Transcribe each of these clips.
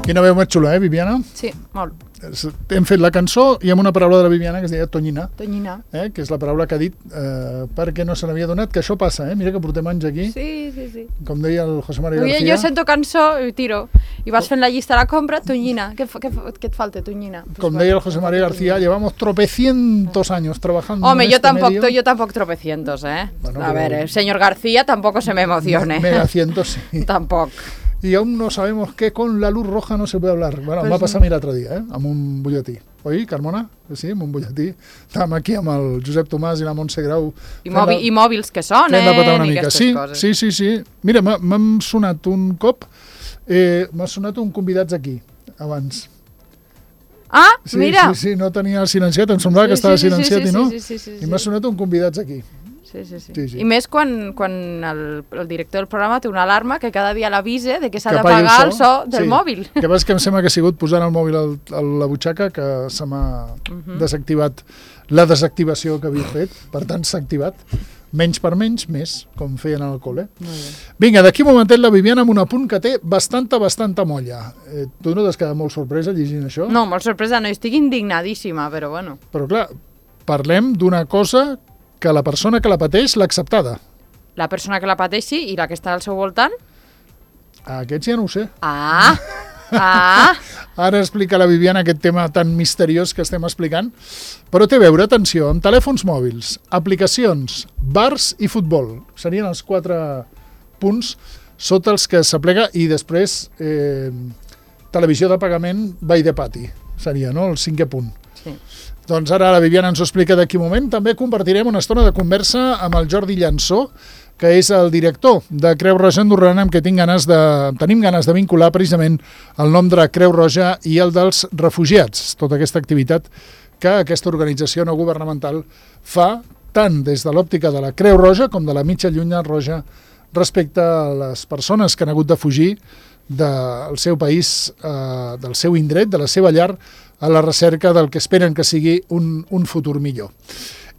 Quina veu més xula, Viviana? Sí, molt. Hem fet la cançó i amb una paraula de la Viviana que es deia Tonyina. Tonyina. Que és la paraula que ha dit perquè no se n'havia donat, que això passa, mira que portem anys aquí. Sí. Com deia el José María García. Jo sento cançó i tiro. I vas fent la llista de la compra, Tonyina. Què et falta, Tonyina? Com deia el José María García, llevamos tropecientos años trabajando. Hombre, yo tampoco tropecientos, Bueno, a ver, el señor García tampoco se me emocione. Megacientos, sí. Tampoco. Y aún no sabemos que con la luz roja no se puede hablar. Bueno, pues em va passar a mi l'altre dia, amb un butlletí. Oi, Carmona? Sí, amb un butlletí. Estàvem aquí amb el Josep Tomàs i la Montse Grau. I mòbils que són, i aquestes coses. Sí. Mira, m'ha sonat un cop, m'ha sonat un convidats aquí, abans. Ah, mira! Sí, no tenia silenciat, em semblava que estava silenciat i no. Sí. I m'ha sonat un convidats aquí. Sí. I més quan el director del programa té una alarma que cada dia l'avisa de que s'ha d'apagar el so del mòbil. Que passa que em sembla que ha sigut posant el mòbil a la butxaca que se m'ha desactivat la desactivació que havia fet, per tant s'ha activat. Menys per menys, més, com feien al col·le. Vinga, d'aquí un momentet la Viviana amb un apunt que té bastanta molla. Tu no t'has quedat molt sorpresa llegint això? No, molt sorpresa no, estic indignadíssima, però bueno. Però clar, parlem d'una cosa que la persona que la pateix l'ha acceptada. La persona que la pateixi i la que està al seu voltant? Aquests ja no ho sé. Ara explica la Viviana aquest tema tan misteriós que estem explicant, però té a veure, atenció, amb telèfons mòbils, aplicacions, bars i futbol. Serien els 4 punts sota els que s'aplega i després televisió de pagament by the pati. Seria, no?, el 5è punt. Sí. Doncs ara la Viviana ens ho explica d'aquí un moment. També compartirem una estona de conversa amb el Jordi Llansó, que és el director de Creu Roja Andorrana, amb què tenim ganes de vincular precisament el nom de Creu Roja i el dels refugiats. Tota aquesta activitat que aquesta organització no governamental fa tant des de l'òptica de la Creu Roja com de la mitja llunya roja respecte a les persones que han hagut de fugir del seu país, del seu indret, de la seva llar, a la recerca del que esperen que sigui un futur millor.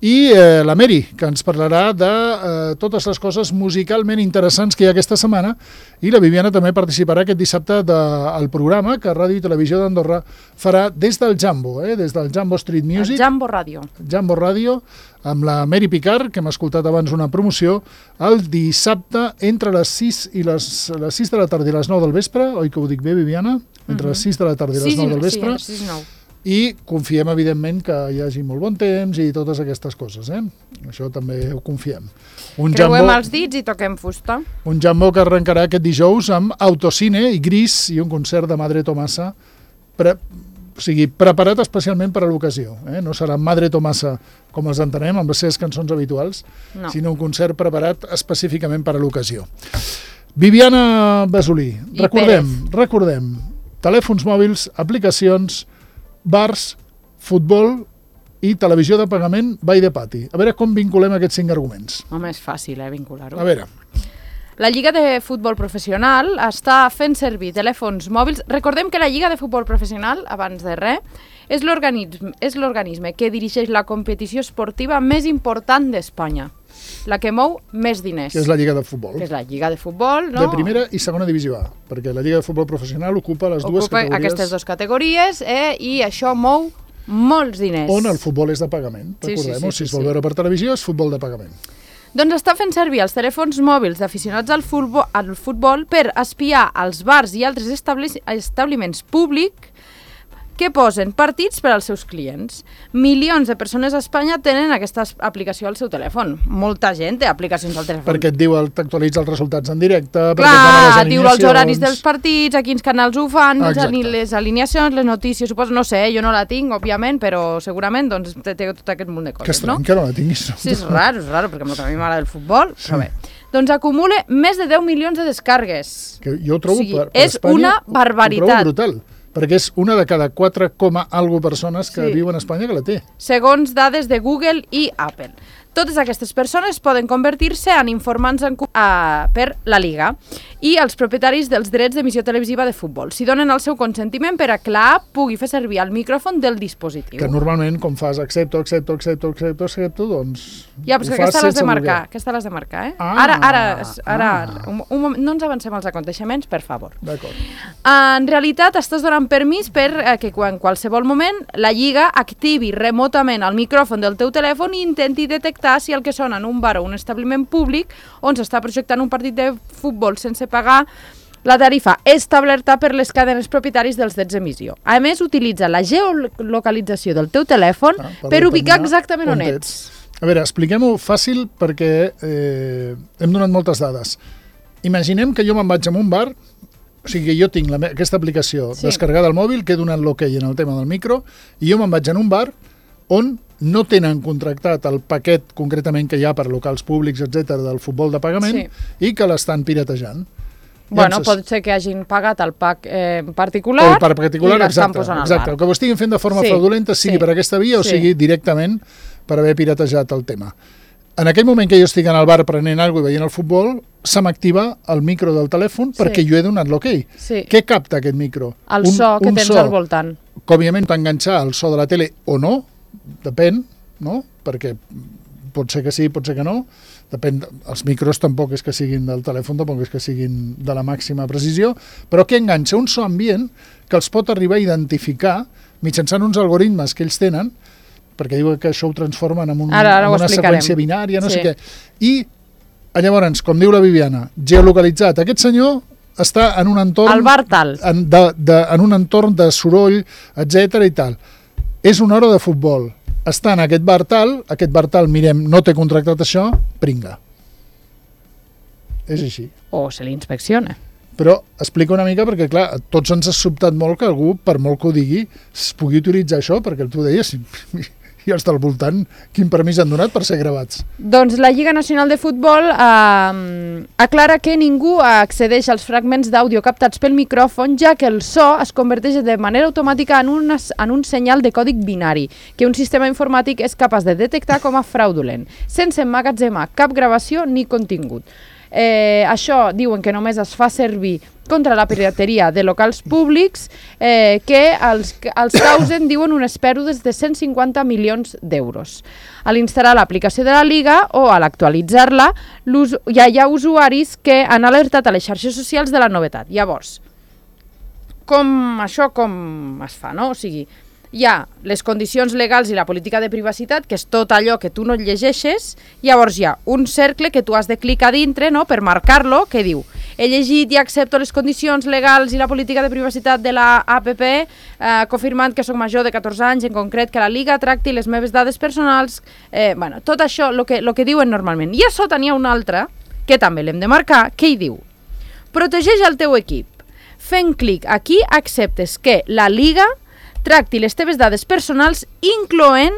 I la Mary, que ens parlarà de totes les coses musicalment interessants que hi ha aquesta setmana, i la Viviana també participarà aquest dissabte del programa que Ràdio i Televisió d'Andorra farà des del Jambo, des del Jambo Street Music. El Jambo Ràdio. Jambo Ràdio, amb la Mary Picard, que hem escoltat abans una promoció, el dissabte entre les 6 de la tarda i les 9 del vespre, oi que ho dic bé, Viviana? Entre les 6 de la tarda i les 9 del vespre. Sí, 6 i 9. I confiem, evidentment, que hi hagi molt bon temps i totes aquestes coses, Això també ho confiem. Creuem els dits i toquem fusta. Un Jambo que arrencarà aquest dijous amb Autocine i Gris i un concert de Madre Tomasa, preparat especialment per a l'ocasió. No serà Madre Tomasa com els entenem, amb les seves cançons habituals, sinó un concert preparat específicament per a l'ocasió. Viviana Basolí, recordem, telèfons mòbils, aplicacions, bars, futbol i televisió de pagament by the pati. A veure com vinculem aquests 5 arguments. Home, és fàcil, vincular-ho. A veure. La Lliga de Futbol Professional està fent servir telèfons mòbils. Recordem que la Lliga de Futbol Professional, abans de res, és l'organisme que dirigeix la competició esportiva més important d'Espanya, la que mou més diners. Que és la Lliga de Futbol. Que és la Lliga de Futbol, no? De primera i segona divisió A, perquè la Lliga de Futbol Professional ocupa les dues categories. Aquestes 2 categories, i això mou molts diners. On el futbol és de pagament, recordem-ho, si es vol veure per televisió és futbol de pagament. Doncs està fent servir els telèfons mòbils d'aficionats al futbol per espiar els bars i altres establiments públics que posen partits per als seus clients. Milions de persones a Espanya tenen aquesta aplicació al seu telèfon. Molta gent té aplicacions al telèfon. Perquè et diu, t'actualitza els resultats en directe, clar, et diu els horaris dels partits, a quins canals ho fan, les alineacions, les notícies, suposo, no sé, jo no la tinc, òbviament, però segurament doncs, té tot aquest munt de coses, que estrany, que no la tinguis. Sí, és raro, perquè a mi m'agrada el futbol, però bé. Doncs acumula més de 10 milions de descargues. Que jo ho trobo, per és Espanya, una barbaritat. Ho trobo brutal. Perquè és una de cada 4, alguna persones que viuen a Espanya que la té. Segons dades de Google i Apple. Totes aquestes persones poden convertir-se en informants per la Liga i els propietaris dels drets d'emissió televisiva de futbol, si donen el seu consentiment per a que l'app pugui fer servir el micròfon del dispositiu. Que normalment, com fas accepto, doncs... Ja, però aquesta l'has de marcar, eh? Ara, un moment, no ens avancem als aconteixements, per favor. D'acord. En realitat, estàs donant permís per que en qualsevol moment la Lliga activi remotament el micròfon del teu telèfon i intenti detectar si el que sona en un bar o un establiment públic on s'està projectant un partit de futbol sense pagar la tarifa establerta per les cadenes propietaris dels drets d'emissió. A més, utilitza la geolocalització del teu telèfon per ubicar exactament on ets. A veure, expliquem-ho fàcil perquè hem donat moltes dades. Imaginem que jo me'n vaig a un bar, o sigui que jo tinc aquesta aplicació descarregada al mòbil, que he donat l'ok en el tema del micro, i jo me'n vaig a un bar on no tenen contractat el paquet concretament que hi ha per locals públics, etc del futbol de pagament, i que l'estan piratejant. Bueno, pot ser que hagin pagat el pack particular, o el pack particular, i l'estan posant al bar. Exacte, el que ho estiguin fent de forma fraudulenta, sigui per aquesta via o sigui directament per haver piratejat el tema. En aquell moment que jo estic en el bar prenent alguna cosa i veient el futbol, se m'activa el micro del telèfon perquè jo he donat l'ok. Què capta aquest micro? El so que tens al voltant. Que òbviament pot enganxar el so de la tele o no, depèn, no? Perquè pot ser que sí, pot ser que no. Depèn, els micros tampoc és que siguin del telèfon, tampoc és que siguin de la màxima precisió, però que enganxa un so ambient que els pot arribar a identificar mitjançant uns algoritmes que ells tenen, perquè diuen que això ho transformen en una seqüència binària, no sé què. I llavors, com diu la Viviana, geolocalitzat, aquest senyor està en un entorn... Al bar tal. En un entorn de soroll, etc i tal. És una hora de futbol. Està en aquest bar tal, mirem, no té contractat això, pringa. És així. O se l'inspecciona. Però explica una mica perquè, clar, a tots ens ha sobtat molt que algú, per molt que ho digui, es pugui utilitzar això, perquè tu deies, i els del voltant, quin permís han donat per ser gravats? Doncs la Lliga Nacional de Futbol aclara que ningú accedeix als fragments d'àudio captats pel micròfon, ja que el so es converteix de manera automàtica en un senyal de còdic binari, que un sistema informàtic és capaç de detectar com a fraudulent, sense emmagatzemar cap gravació ni contingut. Això diuen que només es fa servir contra la pirateria de locals públics que els causen, diuen, unes pèrdues de 150 milions d'euros. A l'instal·lar l'aplicació de la Liga o a l'actualitzar-la, ja hi ha usuaris que han alertat a les xarxes socials de la novetat. Llavors, com es fa, no? O sigui, hi ha les condicions legals i la política de privacitat, que és tot allò que tu no et llegeixes, llavors hi ha un cercle que tu has de clicar dintre, no?, per marcar-lo, que diu: he llegit i accepto les condicions legals i la política de privacitat de la APP, confirmant que soc major de 14 anys, en concret que la Liga tracti les meves dades personals, bueno, tot això, el que diuen normalment. I a sota n'hi ha una altra, que també l'hem de marcar, que hi diu: protegeix el teu equip. Fent clic aquí acceptes que la Liga tracti les teves dades personals, incloent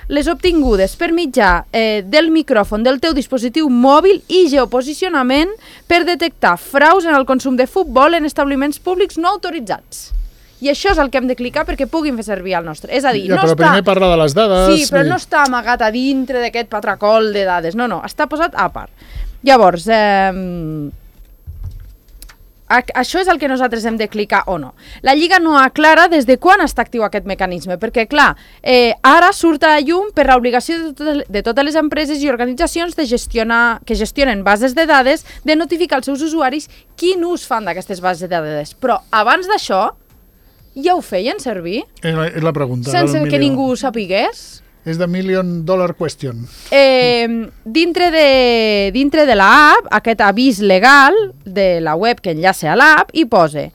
les obtingudes per mitjà del micròfon del teu dispositiu mòbil i geoposicionament per detectar fraus en el consum de futbol en establiments públics no autoritzats. I això és el que hem de clicar perquè puguin fer servir el nostre. És a dir, però primer parla de les dades... Sí, però no està amagat a dintre d'aquest patracol de dades. No, està posat a part. Llavors... això és el que nosaltres hem de clicar o no. La Lliga no aclara des de quan està actiu aquest mecanisme, perquè, clar, ara surt a la llum per l'obligació de totes les empreses i organitzacions que gestionen bases de dades de notificar als seus usuaris quin ús fan d'aquestes bases de dades. Però abans d'això ja ho feien servir? És la pregunta. Sense que ningú ho sapigués? És the $1 million question. Dintre de l'app, aquest avís legal de la web que enllaça a l'app, hi posa,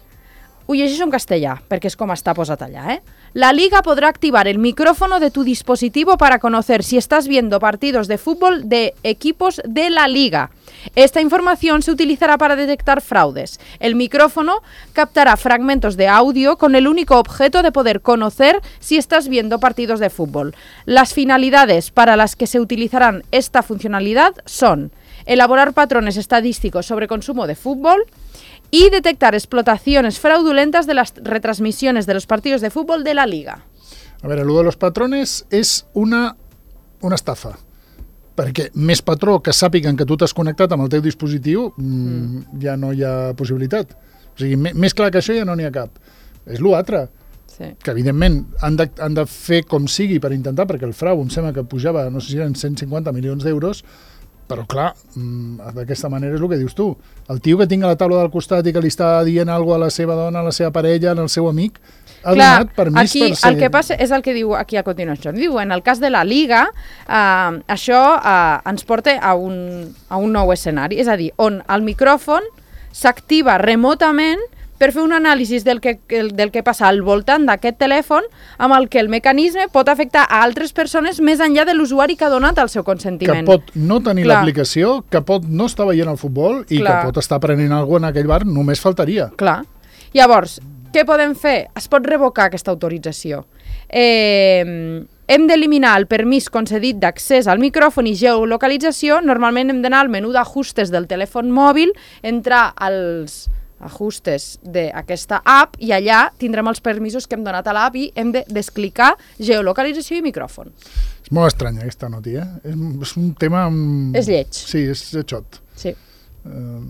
ho llegeixo en castellà, perquè és com està posat allà, La Liga podrá activar el micrófono de tu dispositivo para conocer si estás viendo partidos de fútbol de equipos de la Liga. Esta información se utilizará para detectar fraudes. El micrófono captará fragmentos de audio con el único objeto de poder conocer si estás viendo partidos de fútbol. Las finalidades para las que se utilizarán esta funcionalidad son elaborar patrones estadísticos sobre consumo de fútbol y detectar explotaciones fraudulentas de las retransmisiones de los partidos de fútbol de la Liga. A veure, lo de los patrones és una estafa, perquè més patró que sàpiguen que tu t'has connectat amb el teu dispositiu, ja no hi ha possibilitat. O sigui, més clar que això ja no n'hi ha cap. És l'altre, que evidentment han de fer com sigui per intentar, perquè el frau em sembla que pujava, no sé si eren 150 milions d'euros, però clar, d'aquesta manera és el que dius tu. El tio que tinc a la taula del costat i que li està dient alguna cosa a la seva dona, a la seva parella, al seu amic, ha donat permís per ser... El que passa és el que diu aquí a continuació. Diu, en el cas de la Liga, això ens porta a un nou escenari, és a dir, on el micròfon s'activa remotament per fer un anàlisi del que passa al voltant d'aquest telèfon, amb el que el mecanisme pot afectar a altres persones més enllà de l'usuari que ha donat el seu consentiment. Que pot no tenir l'aplicació, que pot no estar veient el futbol i que pot estar prenent alguna cosa en aquell bar, només faltaria. Clar. Llavors, què podem fer? Es pot revocar aquesta autorització. Hem d'eliminar el permís concedit d'accés al micròfon i geolocalització. Normalment hem d'anar al menú d'ajustes del telèfon mòbil, entrar als ajustes d'aquesta app i allà tindrem els permisos que hem donat a l'app i hem de desclicar geolocalització i micròfon. És molt estrany aquesta notícia. És un tema... És lleig. Sí, és xot. Sí.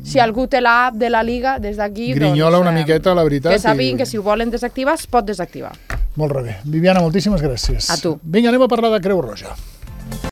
Si algú té l'app de la Liga, des d'aquí... Grinyola una miqueta, la veritat. Que sàpiguen que si ho volen desactivar, es pot desactivar. Molt bé. Viviana, moltíssimes gràcies. A tu. Vinga, anem a parlar de Creu Roja.